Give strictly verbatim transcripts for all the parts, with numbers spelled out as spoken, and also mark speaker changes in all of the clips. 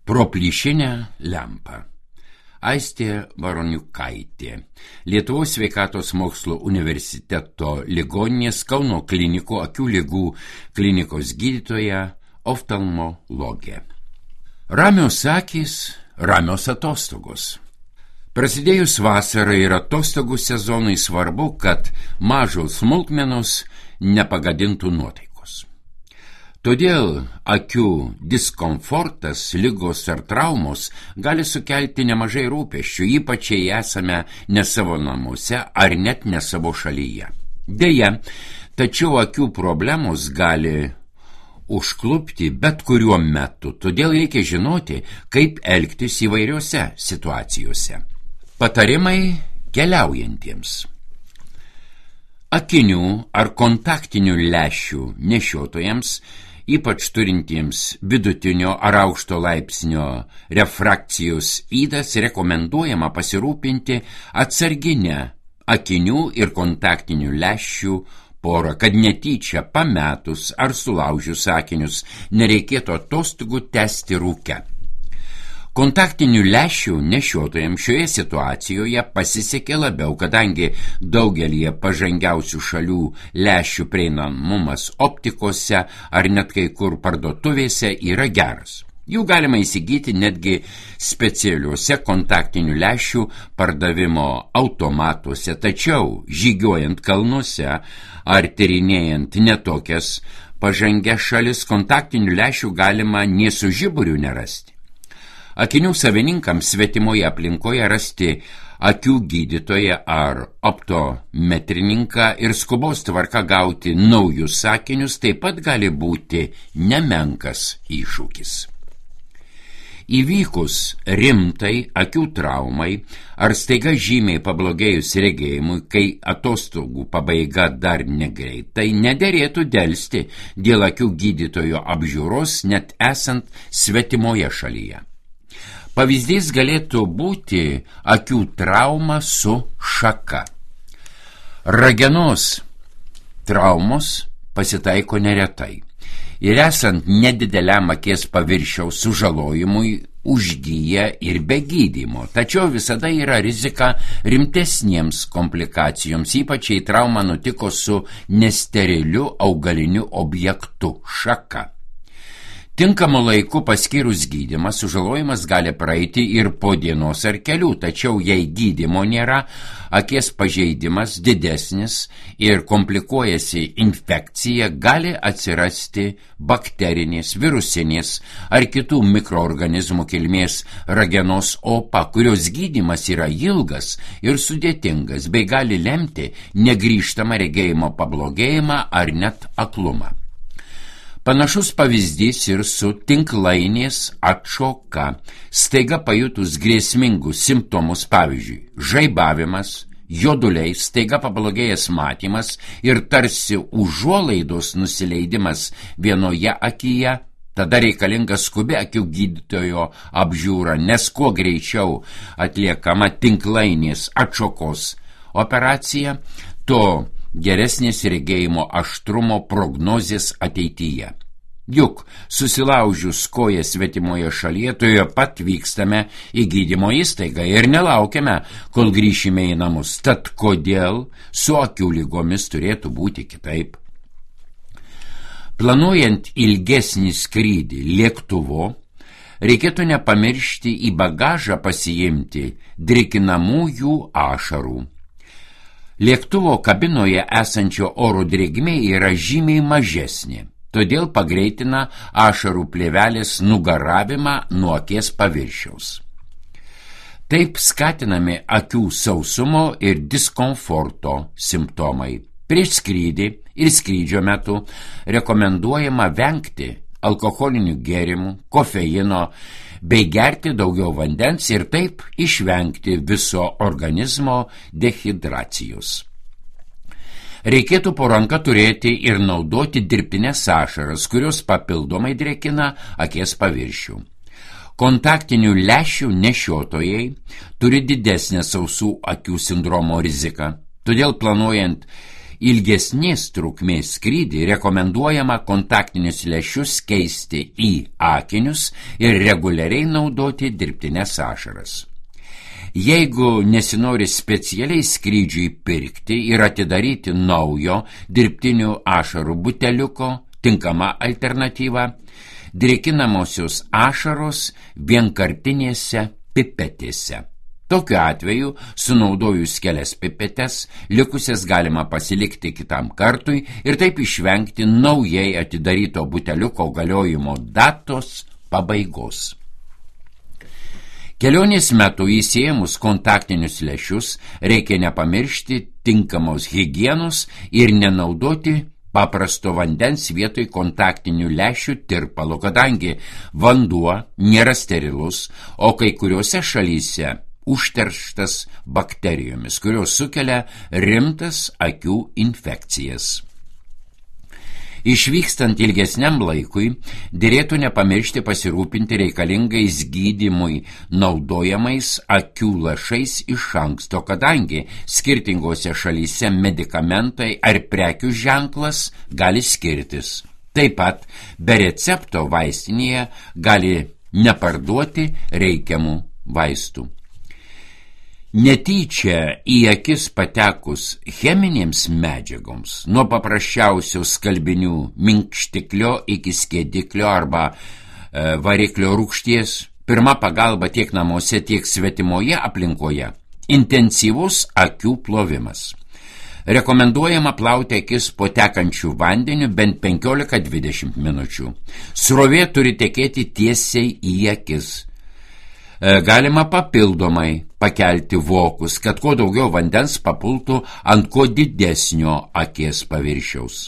Speaker 1: Proplyšinę lempą. Aistė Varoniukaitė, Lietuvos sveikatos mokslo universiteto ligoninės Kauno klinikų akių ligų klinikos gydytoja, oftalmologė. Ramios akys, ramios atostogos. Prasidėjus vasarai ir atostogų sezonui svarbu, kad mažos smulkmenos nepagadintų nuotaikos. Todėl akių diskomfortas, ligos ar traumos gali sukelti nemažai rūpesčių, ypač jei esame ne savo namuose ar net ne savo šalyje. Deja, tačiau akių problemos gali užklupti bet kuriuo metu, todėl reikia žinoti, kaip elgtis įvairiose situacijose. Patarimai keliaujantiems. Akinių ar kontaktinių lęšių nešiotojams, ypač turintiems vidutinio ar aukšto laipsnio refrakcijos ydas, rekomenduojama pasirūpinti atsarginę akinių ir kontaktinių lęšių porą, kad netyčia pametus ar sulaužius akinius nereikėtų atostogų tęsti rūke. Kontaktinių lęšių nešiotojams šioje situacijoje pasisekė labiau, kadangi daugelyje pažangiausių šalių lęšių prieinamumas optikose ar net kai kur parduotuvėse yra geras. Jų galima įsigyti netgi specialiuose kontaktinių lęšių pardavimo automatuose, tačiau žygiuojant kalnuose ar tyrinėjant netokias pažangias šalis, kontaktinių lęšių galima nė su žiburiu nerasti. Akinių savininkams svetimoje aplinkoje rasti akių gydytoją ar optometrininką ir skubos tvarka gauti naujus akinius taip pat gali būti nemenkas iššūkis. Įvykus rimtai akių traumai ar staiga žymiai pablogėjus regėjimui, kai atostogų pabaiga dar negreitai, nederėtų delsti dėl akių gydytojo apžiūros net esant svetimoje šalyje. Pavyzdys galėtų būti akių trauma su šaka. Ragenos traumos pasitaiko neretai ir esant nedideliam akies paviršiaus sužalojimui užgyja ir be gydymo, tačiau visada yra rizika rimtesniems komplikacijoms, ypač jei trauma nutiko su nesteriliu augaliniu objektu – šaka. Tinkamu laiku paskyrus gydymą, sužalojimas gali praeiti ir po dienos ar kelių, tačiau jei gydymo nėra, akies pažeidimas didesnis ir komplikuojasi infekcija, gali atsirasti bakterinės, virusinės ar kitų mikroorganizmų kilmės ragenos opa, kurios gydymas yra ilgas ir sudėtingas, bei gali lemti negrįžtamą regėjimo pablogėjimą ar net aklumą. Panašus pavyzdys ir su tinklainės atšoka, staiga pajutus grėsmingus simptomus, pavyzdžiui, žaibavimas, joduliai, staiga pablogėjęs matymas ir tarsi užuolaidos nusileidimas vienoje akyje, tada reikalinga skubi akių gydytojo apžiūra, nes kuo greičiau atliekama tinklainės atšokos operacija, to geresnės regėjimo aštrumo prognozės ateityje. Juk susilaužius koją svetimoje šalyje, toje pat vykstame į gydymo įstaigą ir nelaukiame, kol grįšime į namus. Tad kodėl su akių lygomis turėtų būti kitaip? Planuojant ilgesnį skrydį lėktuvu, reikėtų nepamiršti į bagažą pasiimti drėkinamųjų ašarų. Lėktuvo kabinoje esančio oro drėgmė yra žymiai mažesnė, todėl pagreitina ašarų plėvelės nugaravimą nuo akies paviršiaus. Taip skatinami akių sausumo ir diskomforto simptomai. Prieš skrydį ir skrydžio metu rekomenduojama vengti alkoholinių gėrimų, kofeino, bei gerti daugiau vandens ir taip išvengti viso organizmo dehidracijos. Reikėtų po ranka turėti ir naudoti dirbtines ašaras, kurios papildomai drėkina akies paviršių. Kontaktinių lęšių nešiotojai turi didesnę sausų akių sindromo riziką, todėl planuojant ilgesnės trukmės skrydį rekomenduojama kontaktinius lęšius keisti į akinius ir reguliariai naudoti dirbtines ašaras. Jeigu nesinori specialiai skrydžiui pirkti ir atidaryti naujo dirbtinių ašarų buteliuko, tinkama alternatyva – drėkinamosios ašaros vienkartinėse pipetėse. Tokiu atveju, sunaudojus kelias pipetes, likusias galima pasilikti kitam kartui ir taip išvengti naujai atidaryto buteliuko galiojimo datos pabaigos. Kelionės metu įsiėmus kontaktinius lęšius reikia nepamiršti tinkamos higienos ir nenaudoti paprasto vandens vietoj kontaktinių lęšių tirpalo, kadangi vanduo nėra sterilus, o kai kuriuose šalyse užterštas bakterijomis, kurios sukelia rimtas akių infekcijas. Išvykstant ilgesniam laikui, dėrėtų nepamiršti pasirūpinti reikalingais gydymui naudojamais akių lašais iš anksto, kadangi skirtingose šalyse medikamentai ar prekių ženklas gali skirtis. Taip pat be recepto vaistinėje gali neparduoti reikiamų vaistų. Netyčia į akis patekus cheminėms medžiagoms, nuo paprasčiausio skalbinių minkštiklio iki skėdiklio arba e, variklio rūgšties, pirma pagalba tiek namuose, tiek svetimoje aplinkoje – intensyvus akių plovimas. Rekomenduojama plauti akis po tekančių vandeniu bent penkiolika dvidešimt minučių. Srovė turi tekėti tiesiai į akis. Galima papildomai pakelti vokus, kad kuo daugiau vandens papultų ant kuo didesnio akies paviršiaus.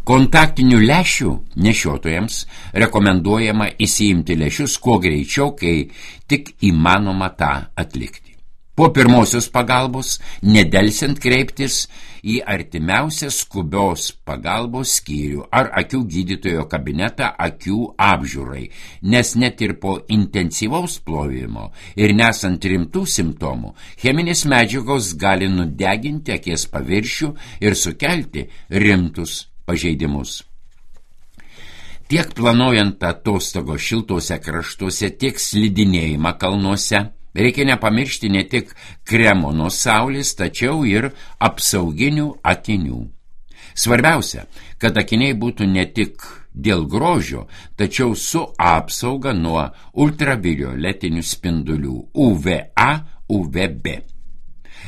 Speaker 1: Kontaktinių lęšių nešiotojams rekomenduojama įsiimti lęšius kuo greičiau, kai tik įmanoma tą atlikti. Po pirmosios pagalbos nedelsiant kreiptis į artimiausią skubios pagalbos skyrių ar akių gydytojo kabinetą akių apžiūrai, nes net ir po intensyvaus plovimo ir nesant rimtų simptomų, cheminės medžiagos gali nudeginti akies paviršių ir sukelti rimtus pažeidimus. Tiek planuojant atostogos šiltuose kraštuose, tiek slidinėjimą kalnuose, reikia nepamiršti ne tik kremo nuo saulės, tačiau ir apsauginių akinių. Svarbiausia, kad akiniai būtų ne tik dėl grožio, tačiau su apsauga nuo ultravioletinių spindulių U V A, U V B.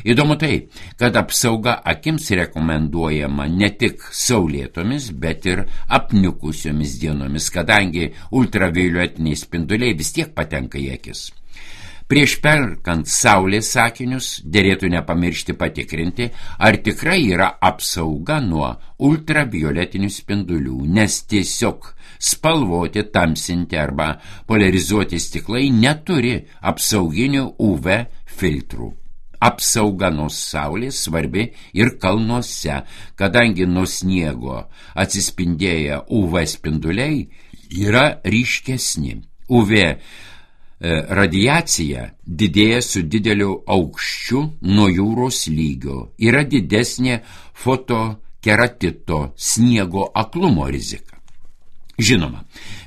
Speaker 1: Įdomu tai, kad apsauga akims rekomenduojama ne tik saulėtomis, bet ir apniukusiomis dienomis, kadangi ultravioletiniai spinduliai vis tiek patenka į akis. Prieš perkant saulės akinius dėrėtų nepamiršti patikrinti, ar tikrai yra apsauga nuo ultravioletinių spindulių, nes tiesiog spalvoti, tamsinti arba polarizuoti stiklai neturi apsauginių U V filtrų. Apsauga nuo saulės svarbi ir kalnuose, kadangi nuo sniego atsispindėję U V spinduliai yra ryškesni. U V radiacija didėja su dideliu aukščiu nuo jūros lygio, yra didesnė fotokeratito sniego aklumo rizika. Žinoma,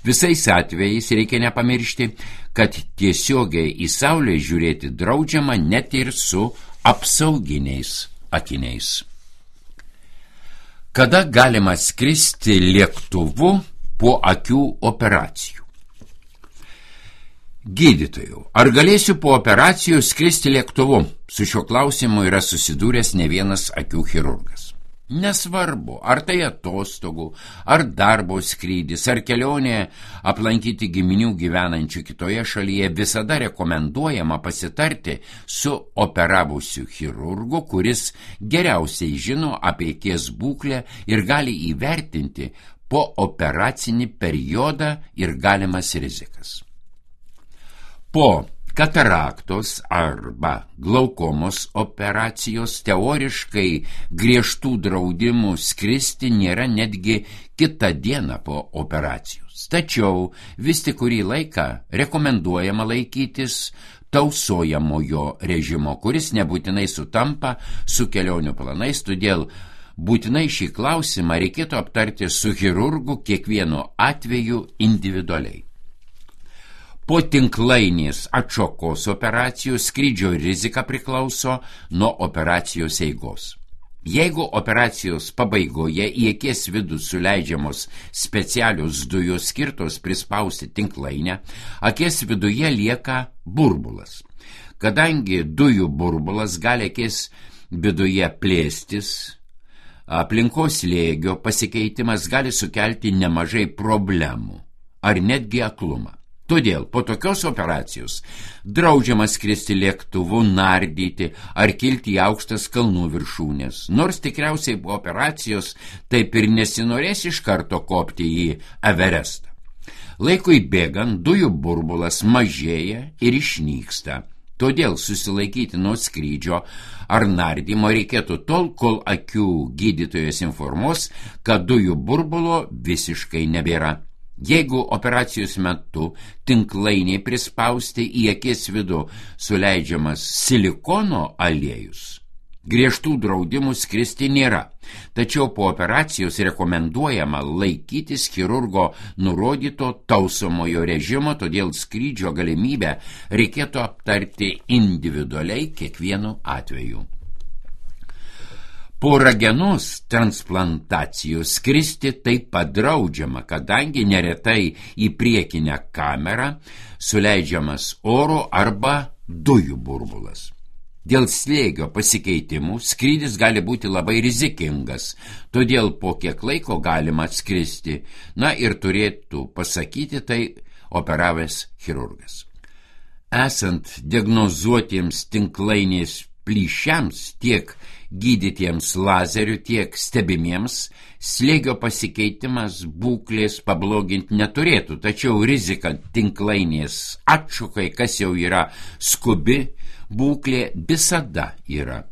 Speaker 1: visais atvejais reikia nepamiršti, kad tiesiogiai į saulę žiūrėti draudžiama net ir su apsauginiais akiniais. Kada galima skristi lėktuvu po akių operacijų? Gydytojų, ar galėsiu po operacijų skristi lėktuvu? Su šiuo klausimu yra susidūręs ne vienas akių chirurgas. Nesvarbu, ar tai atostogų, ar darbo skrydis, ar kelionė aplankyti giminių gyvenančių kitoje šalyje, visada rekomenduojama pasitarti su operavusiu chirurgu, kuris geriausiai žino apie akies būklę ir gali įvertinti po operacinį periodą ir galimas rizikas. Po kataraktos arba glaukomos operacijos teoriškai griežtų draudimų skristi nėra netgi kitą dieną po operacijos. Tačiau vis tik kurį laiką rekomenduojama laikytis tausojamojo režimo, kuris nebūtinai sutampa su kelionių planais, todėl būtinai šį klausimą reikėtų aptarti su chirurgu kiekvienu atveju individualiai. Po tinklainės atšokos operacijos skrydžio rizika priklauso nuo operacijos eigos. Jeigu operacijos pabaigoje į akies vidų suleidžiamos specialios dujos skirtos prispausti tinklainę, akies viduje lieka burbulas. Kadangi dujų burbulas gali akies viduje plėstis, aplinkos slėgio pasikeitimas gali sukelti nemažai problemų ar netgi aklumą. Todėl po tokios operacijos draudžiama skristi lėktuvu, nardyti ar kilti į aukštas kalnų viršūnės, nors tikriausiai po operacijos taip ir nesinorės iš karto kopti į Everestą. Laikui bėgant dujų burbulas mažėja ir išnyksta, todėl susilaikyti nuo skrydžio ar nardymo reikėtų tol, kol akių gydytojas informuos, kad dujų burbulo visiškai nebėra. Jeigu operacijos metu tinklainiai prispausti į akies vidų suleidžiamas silikono aliejus, griežtų draudimų skristi nėra, tačiau po operacijos rekomenduojama laikytis chirurgo nurodyto tausomojo režimo, todėl skrydžio galimybę reikėtų aptarti individualiai kiekvienu atveju. Po ragenos transplantacijos skristi taip pat draudžiama, kadangi neretai į priekinę kamerą suleidžiamas oro arba dujų burbulas. Dėl slėgio pasikeitimų skrydis gali būti labai rizikingas, todėl po kiek laiko galima atskristi, na ir turėtų pasakyti tai operavęs chirurgas. Esant diagnozuotiems tinklainės plyšiams, tiek gydytiems lazeriu, tiek stebimiems, slėgio pasikeitimas būklės pabloginti neturėtų, tačiau rizika tinklainės atšokai, kas jau yra skubi būklė, visada yra.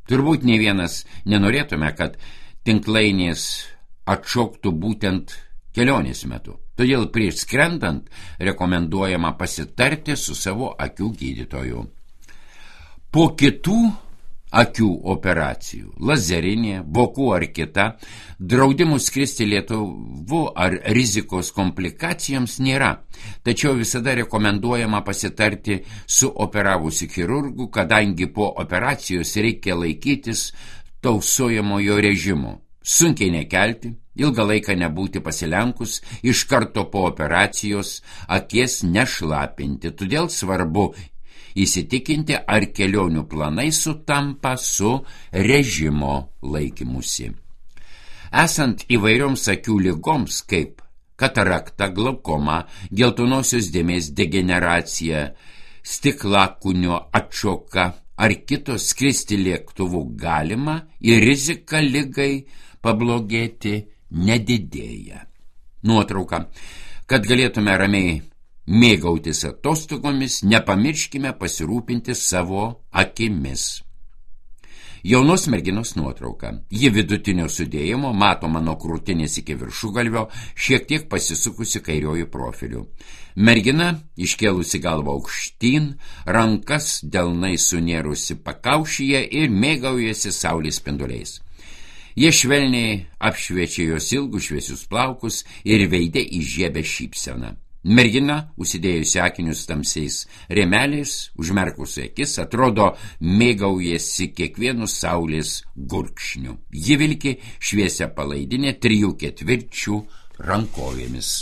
Speaker 1: Turbūt ne vienas nenorėtume, kad tinklainės atšoktų būtent kelionės metu. Todėl prieš skrendant rekomenduojama pasitarti su savo akių gydytoju. Po kitų akių operacijų, lazerinė, vokų ar kita, draudimų skristi lėktuvu ar rizikos komplikacijoms nėra, tačiau visada rekomenduojama pasitarti su operavusiu chirurgu, kadangi po operacijos reikia laikytis tausojamojo režimo, sunkiai nekelti, ilgą laiką nebūti pasilenkus, iš karto po operacijos akies nešlapinti, todėl svarbu įsitikinti, ar kelionių planai sutampa su režimo laikymusi. Esant įvairioms akių ligoms, kaip katarakta, glaukoma, geltonosios dėmės degeneracija, stiklakūnio atšoka ar kitos skristi lėktuvu galima ir rizika ligai pablogėti nedidėja. Nuotrauka. Kad galėtume ramiai mėgautis atostogomis, nepamirškime pasirūpinti savo akimis. Jaunos merginos nuotrauka. Ji vidutinio sudėjimo, matoma nuo krūtinės iki viršugalvio, šiek tiek pasisukusi kairiojų profiliu. Mergina iškėlusi galvą aukštyn, rankas delnai sunėrusi pakaušyje ir mėgaujasi saulės spinduliais. Jie švelniai apšviečia jos ilgus šviesius plaukus ir veide įžiebia šypseną. Mergina, užsidėjusi akinius tamsiais rėmeliais, užmerkusi akis, atrodo mėgaujasi kiekvienu saulės gurkšniu. Ji vilki šviesią palaidinę trijų ketvirčių rankovėmis.